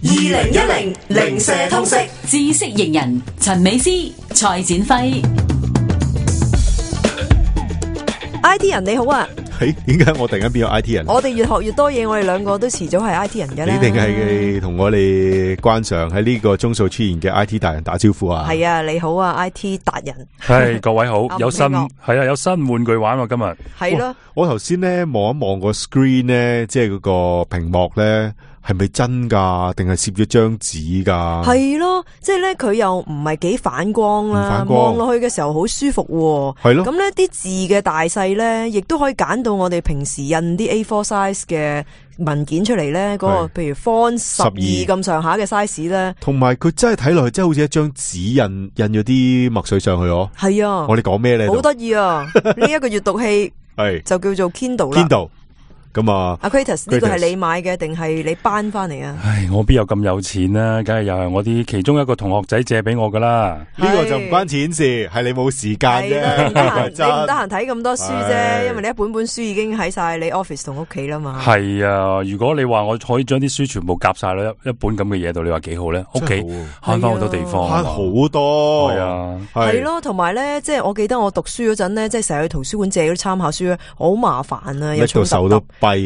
2010零舍通識知識型人陳美詩、蔡展輝。 IT 人你好啊！點解我突然間變咗 IT 人？我哋越學越多嘢，我哋兩個都遲早係 IT 人嘅啦。你定係同我哋關上喺呢個鐘數出現嘅 IT 達人打招呼啊？係啊，你好啊 IT 達人。係各位好，有新聽係啊，有新玩具玩喎今日。係咯，我頭先咧望一望個 screen 咧，即係嗰個屏幕咧，係咪真噶？定係攝咗張紙噶？係咯，即係咧佢又唔係幾反光啦，望落去嘅時候好舒服。係咯，咁咧啲字嘅大細咧，亦都可以揀到我哋平時印啲 A4 size 嘅文件出嚟咧，嗰個譬如 font 12咁上下嘅 size 咧。同埋佢真係睇落去，真係好似一張紙印咗啲墨水上去哦。係啊，我哋講咩咧？好得意啊！呢一個閱讀器係就叫做 Kindle 啦。Kindle 咁啊，阿 Kratos 呢個係你買嘅定係你搬翻嚟啊？唉，我邊有咁有錢啊？梗係又係我啲其中一個同學仔借俾我噶啦。呢個就唔關錢事，係你冇時間啫。你唔得閒睇咁多書啫，因為你一本本書已經喺晒你 office 同屋企啦嘛。係啊，如果你話我可以將啲書全部夾晒啦一本咁嘅嘢度，你話幾好咧？屋企慳翻好多地方，慳好多。係啊，係咯，同埋咧，即係我記得我讀書嗰陣咧，即係成日去圖書館借嗰啲參考書咧，好麻煩啊，又重手都跛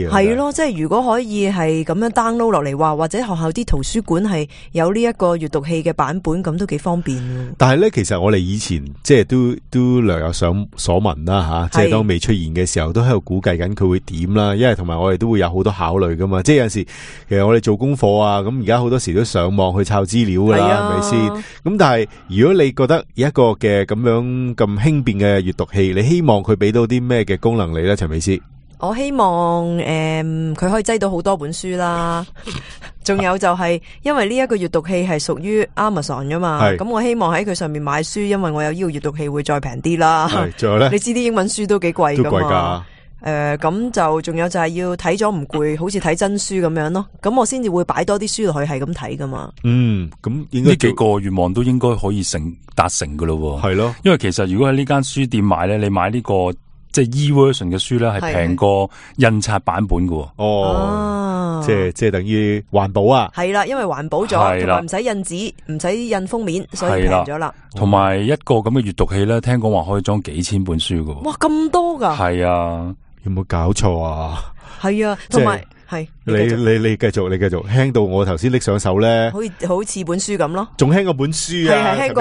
啊。係咯，即係如果可以係咁樣 download 落嚟話，或者學校啲圖書館係有呢一個閱讀器嘅版本，咁都幾方便。但係咧，其實我哋以前即係都略有所聞啦吓，即係當未出現嘅時候，都喺度估計緊佢會點啦。因為同埋我哋都會有好多考慮噶嘛，即係有陣時其實我哋做功課啊，咁而家好多時都上網去抄資料噶啦，係咪先？咁但係如果你覺得有一個嘅咁樣咁輕便嘅閱讀器，你希望佢俾到啲咩嘅功能你咧，陳美詩？我希望佢可以擠到好多本書啦，仲有就係因為呢一個閱讀器係屬於 Amazon 噶嘛，咁我希望喺佢上面買書，因為我有呢個閱讀器會再平啲啦。仲有咧，你知啲英文書都幾貴噶嘛？都貴㗎。咁就仲有就係要睇咗唔攰，好似睇真書咁樣咯。咁我先至會擺多啲書落去，係咁睇噶嘛。咁應該呢幾個願望都應該可以達成噶咯。係咯，因為其實如果喺呢間書店買咧，你買呢個即係 e-version 嘅書咧，係平過印刷版本嘅。即係等於環保啊。係啦，因為環保咗，同埋唔使印紙，唔使印封面，所以平咗啦。同埋一個咁嘅閱讀器咧，聽講話可以裝幾千本書嘅。哇，咁多噶？係啊，有冇搞錯啊？係啊，同埋係你繼續輕到我頭先拎上手咧，好似本書咁咯，仲輕過本書啊，輕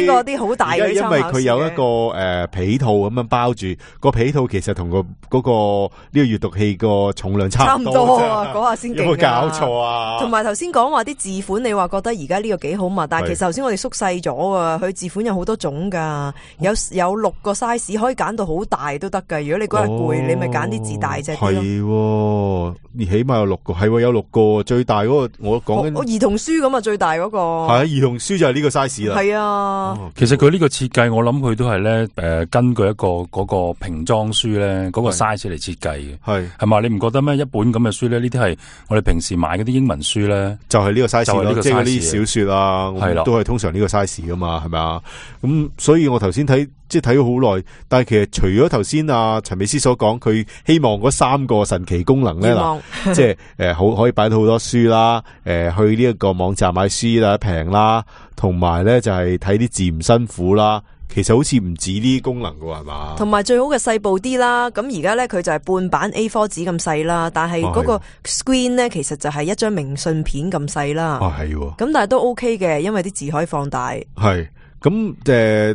過啲好大嘅。因為佢有一個皮套咁樣包住，個皮套其實同嗰個呢個閱讀器個重量差唔多啊，嗰下先勁。有冇搞錯啊？同埋頭先講話啲字款，你話覺得而家呢個幾好嘛？但係其實頭先我哋縮細咗啊，佢字款有好多種噶，有6個 size 可以揀到好大都得噶。如果你嗰日攰，你咪揀啲字大隻啲咯。係，起碼有6個，係有6個，最大嗰個我講緊。我兒童書咁啊，最大嗰個。係兒童書就係呢個 size 啦。係啊，其實佢呢個設計，我諗佢都係咧根據一個嗰個瓶裝書咧嗰個 size 嚟設計嘅。係嘛？你唔覺得咩？一本咁嘅書咧，呢啲係我哋平時買嗰啲英文書咧，就係呢個 size 咯，即係嗰啲小說啊，係啦，都係通常呢個 size 噶嘛，係咪啊？咁所以我頭先睇咗好耐，但係其實除咗頭先阿陳美詩所講，佢希望嗰3個神奇功能咧，嗱，即係好可以擺到好多書啦，去呢一個網站買書啦，平啦，同埋咧就係睇啲字唔辛苦啦。其實好似唔止呢啲功能噶係嘛？同埋最好嘅細部啲啦。咁而家咧佢就係半版 A4 紙咁細啦，但係嗰個 screen 咧其實就係一張明信片咁細啦。係。咁但係都 OK 嘅，因為啲字可以放大。係。咁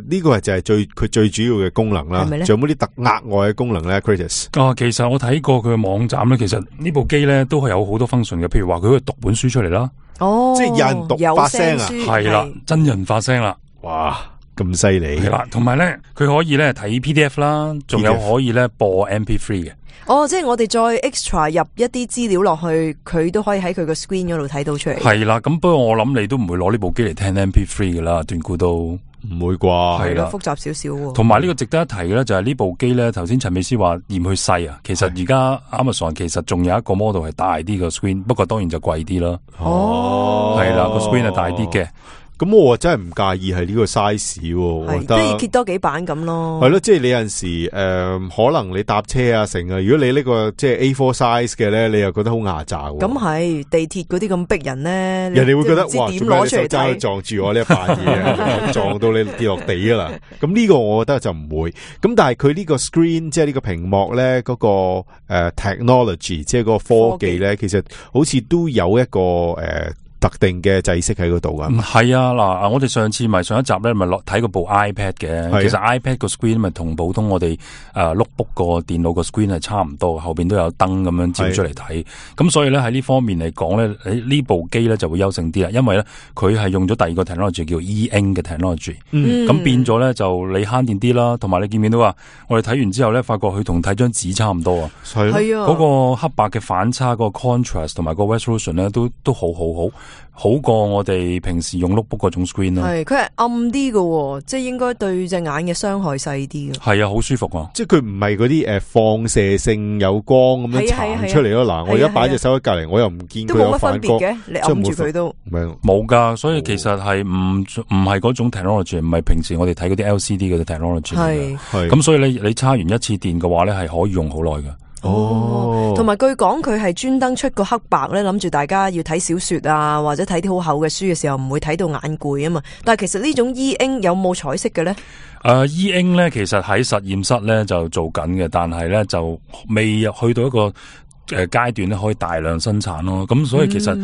呢個就係佢最主要嘅功能啦。仲有冇啲額外嘅功能咧 Kratos？ 其實我睇過佢嘅網站咧，其實呢部機咧都係有好多 function 嘅，譬如話佢可以讀本書出嚟啦。即係有人讀發聲啊？係啦，真人發聲啦。哇！咁犀利係啦，同埋咧，佢可以咧睇 PDF 啦，仲有可以咧播 MP3 嘅。即係我哋再 extra 入一啲資料落去，佢都可以喺佢個 screen 嗰度睇到出嚟。係啦，咁不過我諗你都唔會攞呢部機嚟聽 MP3 噶啦，斷估都唔會啩？係啦，複雜少少。同埋呢個值得一提嘅咧，就係呢部機咧，頭先陳美詩話嫌佢細啊，其實而家 Amazon 其實仲有一個 model 係大啲個 screen，不過當然就貴啲啦。係啦，個 screen 係大啲嘅。咁我真係唔介意係呢個 size， 我覺得即係揭多幾版咁咯。係咯，即係你有陣時可能你搭車啊成啊，如果你呢個即係 A4 size 嘅咧，你又覺得好牙炸。咁係地鐵嗰啲咁逼人咧，人哋會覺得哇，點攞出嚟睇，撞住我呢一塊嘢，撞到你跌落地㗎啦。咁呢個我覺得就唔會。咁但係佢呢個 screen 即係呢個屏幕咧，嗰個technology 即係嗰個科技咧，其實好似都有一個特定嘅制式喺嗰度噶。係啊，嗱，我哋上次咪上一集咧，咪落睇嗰部 iPad 嘅。其實 iPad 個 screen 咪同普通我哋notebook 個電腦個 screen 係差唔多，後邊都有燈咁樣照出嚟睇。咁所以咧喺呢方面嚟講咧，呢部機咧就會優勝啲啦，因為咧佢係用咗第二個 technology 叫 E-ink 嘅 technology。咁變咗咧就你慳電啲啦，同埋你見唔見到啊？我哋睇完之後咧，發覺佢同睇張紙差唔多啊。係啊，嗰個黑白嘅反差，個 contrast 同埋個 resolution 咧都好過我哋平時用 notebook 嗰種 screen 咯。係，佢係暗啲嘅，即係應該對隻眼嘅傷害細啲嘅。係啊，好舒服啊！即係佢唔係嗰啲放射性有光咁樣殘出嚟咯。嗱，我而家擺隻手喺隔籬，我又唔見佢有反光，都冇乜分別嘅。你揞住佢都冇噶，所以其實係唔係嗰種 technology， 唔係平時我哋睇嗰啲 LCD 嗰啲 technology。係咁，所以你叉完一次電嘅話咧，係可以用好耐嘅。同埋據講佢係專登出個黑白咧，諗住大家要睇小說啊，或者睇啲好厚嘅書嘅時候唔會睇到眼攰啊嘛。但係其實呢種 E-ink 有冇彩色嘅咧？E-ink 咧其實喺實驗室咧就做緊嘅，但係咧就未去到一個階段咧可以大量生產咯。咁所以其實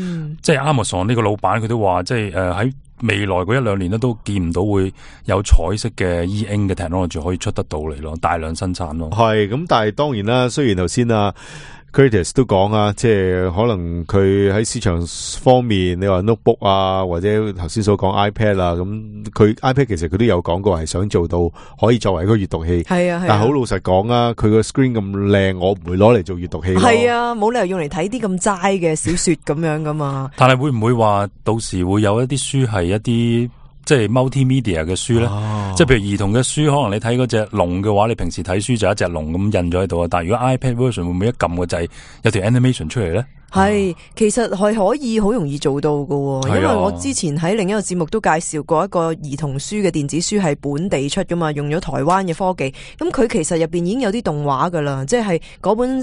即係 Amazon 呢個老闆佢都話，即係喺未來嗰1-2年咧都見唔到會有彩色嘅 E-ink 嘅 technology 可以出得到嚟咯，大量生產咯。係咁，但係當然啦，雖然頭先Curtis 都講啊，即係可能佢喺市場方面，你話 notebook 啊，或者頭先所講 iPad 啊，咁佢 iPad 其實佢都有講過係想做到可以作為一個閱讀器。係啊，但係好老實講啊，佢個 screen 咁靚，我唔會攞嚟做閱讀器。係啊，冇理由用嚟睇啲咁齋嘅小說咁樣噶嘛。但係會唔會話到時會有一啲書係一啲即係 multimedia 嘅書咧？即係譬如兒童嘅書，可能你睇嗰隻龍嘅話，你平時睇書就一隻龍咁印咗喺度啊。但係如果 iPad version 會唔會一撳個掣有條 animation 出嚟咧？係，其實係可以好容易做到㗎，因為我之前喺另一個節目都介紹過一個兒童書嘅電子書係本地出噶嘛，用咗台灣嘅科技。咁佢其實入邊已經有啲動畫噶啦，即係嗰本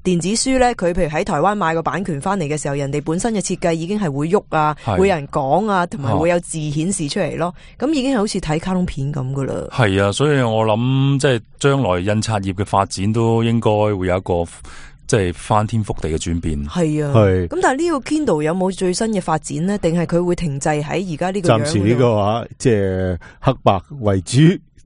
電子書咧，佢譬如喺台灣買個版權翻嚟嘅時候，人哋本身嘅設計已經係會喐啊，會有人講啊，同埋會有字顯示出嚟咯。咁已經係好似睇卡通片咁噶啦。係啊，所以我諗即係將來印刷業嘅發展都應該會有一個即係翻天覆地嘅轉變。係啊，係。咁但係呢個 Kindle 有冇最新嘅發展呢？定係佢會停滯喺而家呢個樣？暫時呢個話即係黑白為主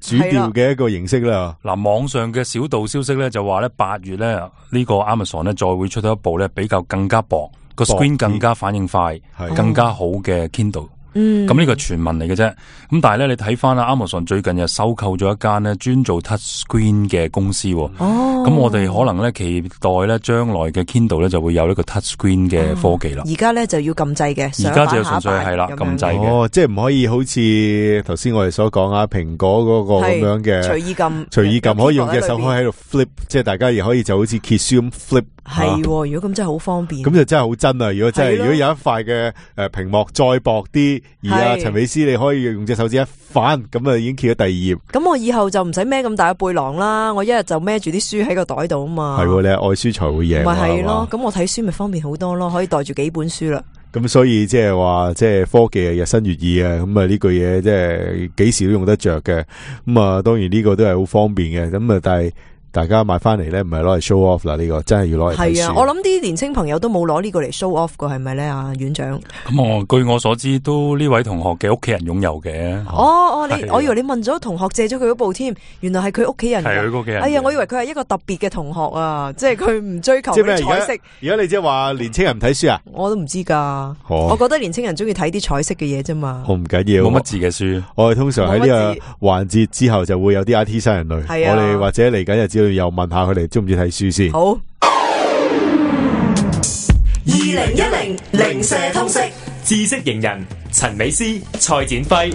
調嘅一個形式啦。嗱，網上嘅小道消息咧就話咧8月咧呢個 Amazon 咧再會出到一部咧比較更加薄個 screen 更加反應快、更加好嘅 Kindle。咁呢個傳聞嚟嘅啫，咁但係咧你睇翻啦 Amazon 最近又收購咗一間咧專做 touch screen 嘅公司，咁我哋可能咧期待咧將來嘅 Kindle 咧就會有呢個 touch screen 嘅科技啦。而家咧就要撳掣嘅，而家就純粹係啦撳掣嘅，即係唔可以好似頭先我哋所講啊蘋果嗰個咁樣嘅隨意撳，隨意撳可以用隻手開喺度 flip， 即係大家亦可以就好似揭書咁 flip。係，如果咁真係好方便。咁就真係好真啊！如果真係，如果有一塊嘅屏幕再薄啲，而陳美斯你可以用隻手指一反，咁啊已經揭咗第二頁。咁我以後就唔使孭咁大嘅背囊啦，我一日就孭住啲書喺個袋度啊嘛。係，你係愛書才會贏。咪係咯，咁我睇書咪方便好多咯，可以袋住幾本書啦。咁所以即係話，即係科技係日新月異啊！咁啊呢句嘢即係幾時都用得着嘅。咁啊當然呢個都係好方便嘅。咁啊但係。大家買翻嚟咧，唔係攞嚟 show off 啦，呢個真係要攞嚟睇書。係啊，我諗啲年青朋友都冇攞呢個嚟 show off 過，係咪咧？啊，院長。咁據我所知，都呢位同學嘅屋企人擁有嘅。我以為你問咗同學借咗佢嗰部添，原來係佢屋企人。係佢屋企人。哎呀，我以為佢係一個特別嘅同學啊，即係佢唔追求啲彩色。而家你即係話年青人唔睇書啊？我都唔知噶。我覺得年青人中意睇啲彩色嘅嘢啫嘛。我唔緊要，冇乜字嘅書。我哋通常喺呢個環節之後就會有啲 IT 新人類。係啊。我哋或者嚟緊日子又問下佢哋。中唔中意睇書先？好。2010零舍通識知識型人陳美斯、蔡展輝。